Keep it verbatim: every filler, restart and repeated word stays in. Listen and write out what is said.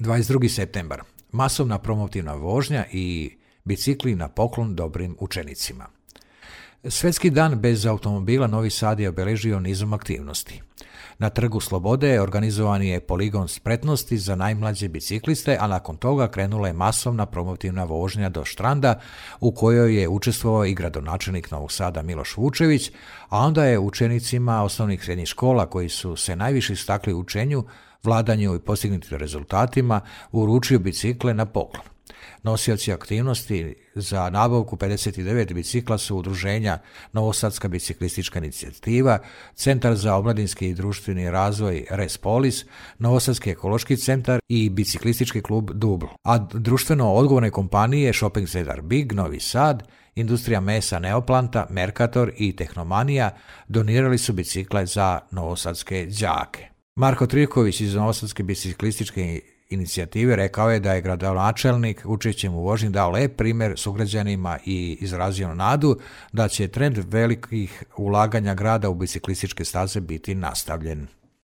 dvadeset drugi septembar. Masovna promotivna vožnja i bicikli na poklon dobrim učenicima. Svjetski dan bez automobila Novi Sad je obeležio nizom aktivnosti. Na Trgu Slobode organizovan je poligon spretnosti za najmlađe bicikliste, a nakon toga krenula je masovna promotivna vožnja do Štranda u kojoj je učestvovao i gradonačelnik Novog Sada Miloš Vučević, a onda je učenicima osnovnih i srednjih škola koji su se najviše istakli u učenju, vladanju i postignutim rezultatima uručio bicikle na poklon. Nosioci aktivnosti za nabavku pedeset devet bicikla su udruženja Novosadska biciklistička inicijativa, Centar za omladinski i društveni razvoj Respolis, Novosadski ekološki centar i biciklistički klub Dubl. A društveno odgovorne kompanije Shopping Centar Big, Novi Sad, Industrija mesa Neoplanta, Mercator i Tehnomanija donirali su bicikle za novosadske đake. Marko Trivković iz Novosadske biciklističke inicijative rekao je da je gradonačelnik učešćem u vožnji dao lep primjer sugrađanima i izrazio nadu da će trend velikih ulaganja grada u biciklističke staze biti nastavljen.